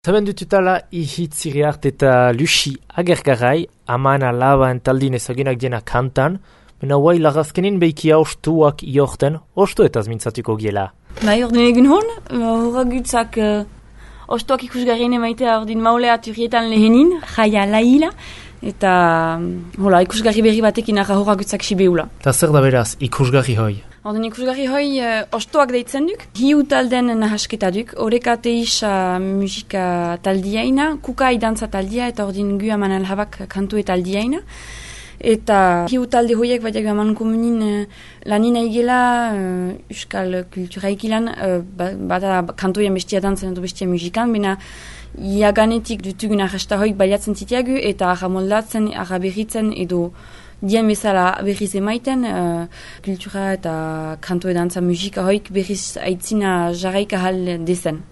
Zaben dututala ihitziriart eta Lucy Agergarai, aman alaba entaldin ezagunak diena kantan, mena guai lagazkenin behikia ostuak iorten, ostu eta mintzatuko giela. Bai, ordin egun hon, horragutzak ostuak ikusgarrien emaitea ordin maulea turietan lehenin, jaia laila, eta hola, ikusgarri berri batekin arra horragutzak sibeula. Ta zer da beraz, ikusgarri hoi? Ordin ikusgarri hoi ostoak deitzen duk, hiu talden nahasketa duk, horreka teisa musika taldiaina, kukai dantza taldia eta ordin gu aman alhabak kantu taldiaina. Eta hiu talde hoiek badiak aman komunin lanina igela euskal kulturaikilan, bada kantoien bestia dantzen edo bestia musikan, bena iaganetik dutugun arrasta hoik baliatzen zitiagu eta arra moldatzen, arra berritzen edo dien bezala berriz emaiten, kultura eta kanto dantza musika hoik berriz aitzina jarraik ahal dezen.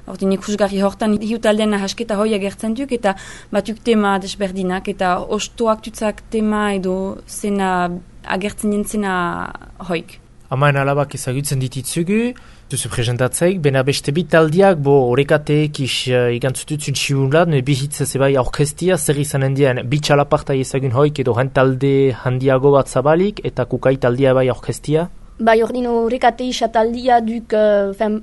Ordin ikusgarri hortan hiu taldean nahasketa hoi agertzen duk eta batuk tema desberdinak eta ostoak tutzak tema edo zena agertzen jentzena hoik. Amaen alabak ezagutzen dititzugu, duzu presentatzeik, bena beste bit taldiak, bo horrekateek igantzututzun txibulat, bihitzez ebai orkestia, zer izanen dien, bitxalapartai ezagun hoik edo talde handiago bat zabalik, eta kukai taldia ebai orkestia? Bai, ordin horrekate isa taldia duk,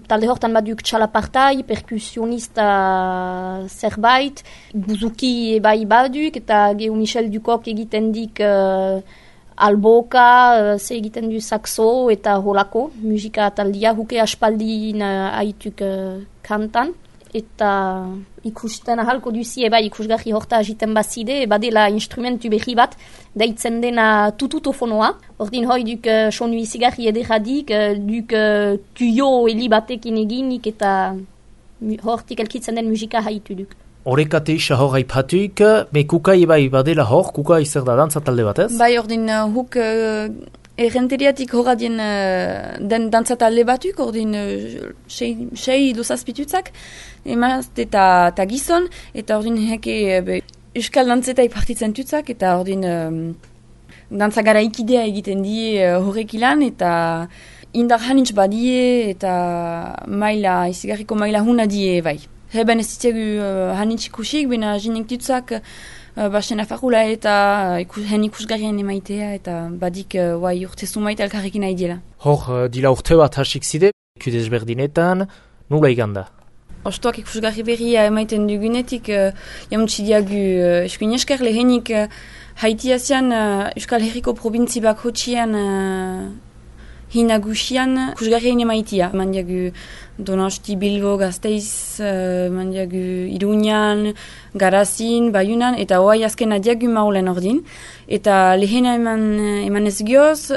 talde hortan bat duk txalapartai, perkusionista zerbait, buzuki ebai baduk, eta gehu Michel Dukok egiten dik alboka, ze egiten du saxo eta holako, musika taldia, huke aspaldin aituk kantan. Eta ikusten ahalko duzi eba ikusgarri horta agiten bazide, badela instrumentu berri bat, deitzen dena tututofonoa. Ordin hoi duk sonu izigarri ederadik, duk tuyo heli batekin eginik eta hortik elkitzen den musika haitu duk. Horrekate isa hor haipatuik, me kukai ebai badela hor, kukai zer da dantza talde bat ez? Bai, ordin huk errenteriatik horradien den dantza talde batuk, ordin sei dozazpitutzak, emazte eta gizon, eta ordin heke euskal dantzetai partitzen tutzak, eta ordin dantza gara ikidea egiten die horrek ilan, eta indar hanitz badie, eta maila, izigarriko maila huna die bai. Heben ez zitegu hanitz ikusik, bena jinek tutzak, basen afarula eta hen ikusgarrien emaitea eta badik urtezu maite alkarrekin nahi diela. Hor, dila urte bat hasik zide, kudez berdinetan, nula iganda? Ostoak ikusgarri berria emaiten dugunetik, jamutsi diagu eskuin esker lehenik haitiazian Euskal Herriko probintzi bak hotxian hinagusian ikusgarrien emaitia. Mandiagu Donosti, Bilbo, Gasteiz, mandiagu Iruñan, Garazin, Bayunan, eta hoai azken adiagu maulen ordin. Eta lehena eman ez gioz,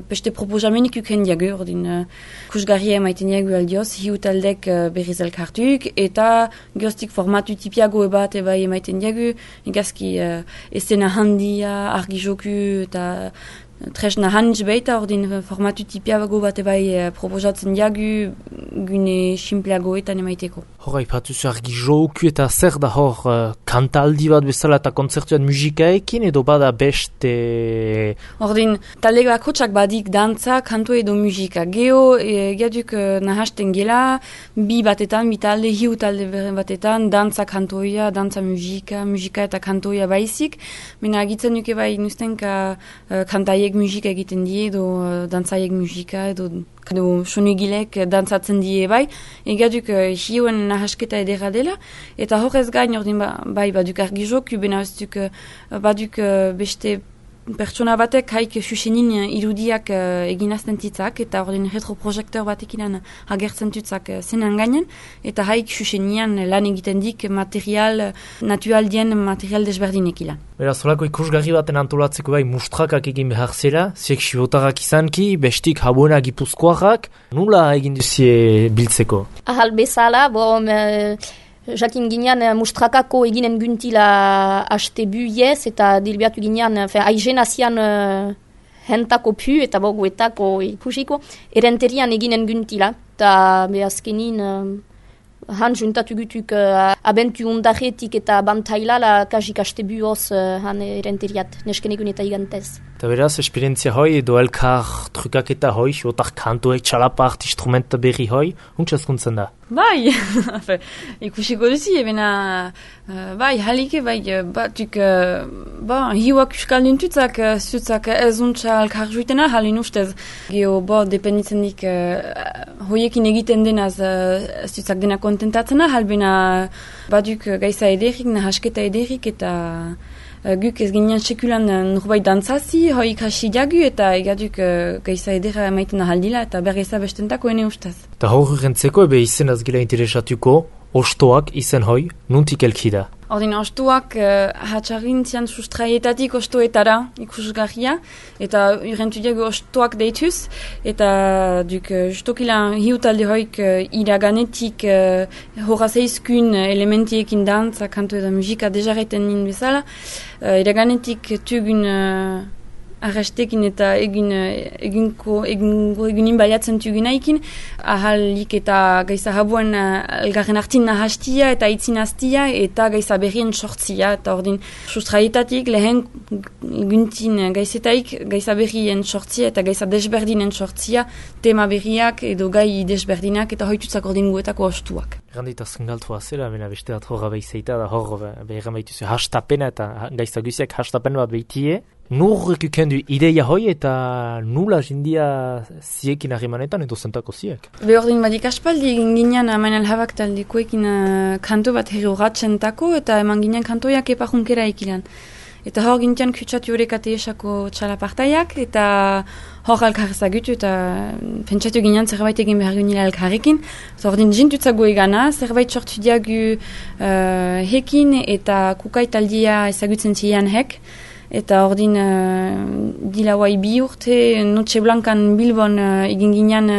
beste proposamenik uken diagu ordin. Ikusgarria emaiten diagu aldioz, hiu taldek berriz elkartuk, eta gioztik formatu tipiago ebat eba emaiten diagu, egazki esena handia, argi joku, eta tresna hanitz baita, ordin formatu tipiago bat ebai proposatzen diagu, gune simpleagoetan emaiteko. Hor, haipatuzu argi joku eta zer da hor kantaldi bat bezala eta kontzertuan musikaekin edo bada beste? Ordin, talde bakotsak badik dantza, kantu edo musika. Geo, gaduk nahasten gela, bi batetan, bi talde, hiu talde batetan, dantza kantoia, dantza musika eta kantoia baizik. Mena agitzen duke bai nuztenka kantaiek musika egiten die, edo dantzaiek musika, edo sonigilek dantzatzen die bai. Egaduk hiuen nahasketa edera dela, eta horrez gain ordin bai baduk argi joku, bena ez duk baduk beste pertsona batek haik susenin irudiak eginazten titzak, eta ordin retroprojektor batekin agertzen tutzak zenan gainen, eta haik susenian lan egiten dik material, naturaldien material desberdinek ilan. Beraz, solako ikusgarri baten antolatzeko bai mustrakak egin behar zela, ziek sibotarrak izanki, bestik habuena gipuzkoarrak, nula egin duzie biltzeko? Ahal bezala, jakin ginean mustrakako eginen guntila haste buiez eta dilbiatu ginean aizen azian hentako pu eta boguetako ikusiko erenterian eginen guntila eta behazkenin han juntatu gutuk abentu ondaretik eta bantailala kasik haste buoz han erenteriat nesken egun eta igantez. Eta beraz, esperientzia hoi edo elkar trukaketa hoi, otar kantoek, txalapart, instrumenta berri hoi, untsa ezkuntzen da? Bai, ikusiko duzi, ebena, bai, halike, bai, batuk, hiuak euskalduntutzak, zutzak ez untsa alkar juitena, halin ustez. Geo, dependitzen dik, hoiekin egiten denaz, zutzak dena kontentatzena, halbena, baduk gaiza ederik, nahasketa ederik, eta guk ez ginean sekulan norbait dantzazi, hoi ikasi diagu, eta egaduk gaiza edera maiten ahaldila, eta bergeza bestentako ene ustez. Eta horrentzeko ebe izenaz gila interesatuko, ostoak izen hoi, nuntik elki da? Ordin, ostoak hatxarintzian sustraietatik ostoetara ikusgarria, eta urrentu diago ostoak deituz, eta duk justokilan hiutalde hoik iraganetik horazeizkun elementiekin dantza, kanto eta musika dejareten nin bezala, iraganetik tugun arrestekin eta egunin baliatzen tugunaikin, ahalik eta gaiza habuen elgarren hartin nahastia eta itzin hastia eta gaiza berrien sortzia, eta ordin sustraietatik lehen guntin gaizetaik gaiza berrien sortzia eta gaiza desberdinen sortzia, tema berriak edo gai desberdinak eta hoitutzak ordin guetako ostuak. Erranditazken galtua zela, bena beste bat horra behizeita, da hor behiran behituzu hastapena eta gaiza guziak hastapen bat behitie. Nur ekukendu ideia hoi eta nula jindia ziekin harrimanetan edo zentako ziek? Behordin badik aspaldi egin ginean Manel Habak taldekoekin kanto bat herroratzentako eta eman ginean kantoiak epajunkera ikilan. Eta hor gintian kutsatu Orekate esako txalapartaiak eta hor alkar ezagutu eta pentsatu ginean zerbait egin behar gunila alkarrekin. Ordin jintutzago egana, zerbait sortu diagu hekin eta kukai taldia ezagutzen zian hek. Eta ordin dilauai 2 urte Noche Blancan Bilbon egin ginean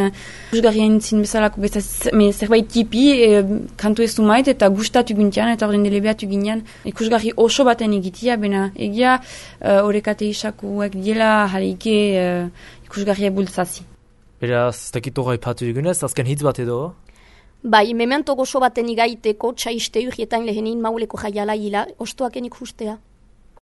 usgarria entzin bezalako zerbait tipi kantu ez du mait eta gustatu guntian eta ordin delebeatu ginean ikusgarri oso baten egitia, bena egia Orekate isakuak diela jaleike ikusgarria bultzazi. Beraz, ez dakit horra ipatu dugunez, azken hitz bat edo? Bai, memento gozo baten igaiteko txaiste urrietan lehenin mauleko jaiala hila, ostoaken ikustea.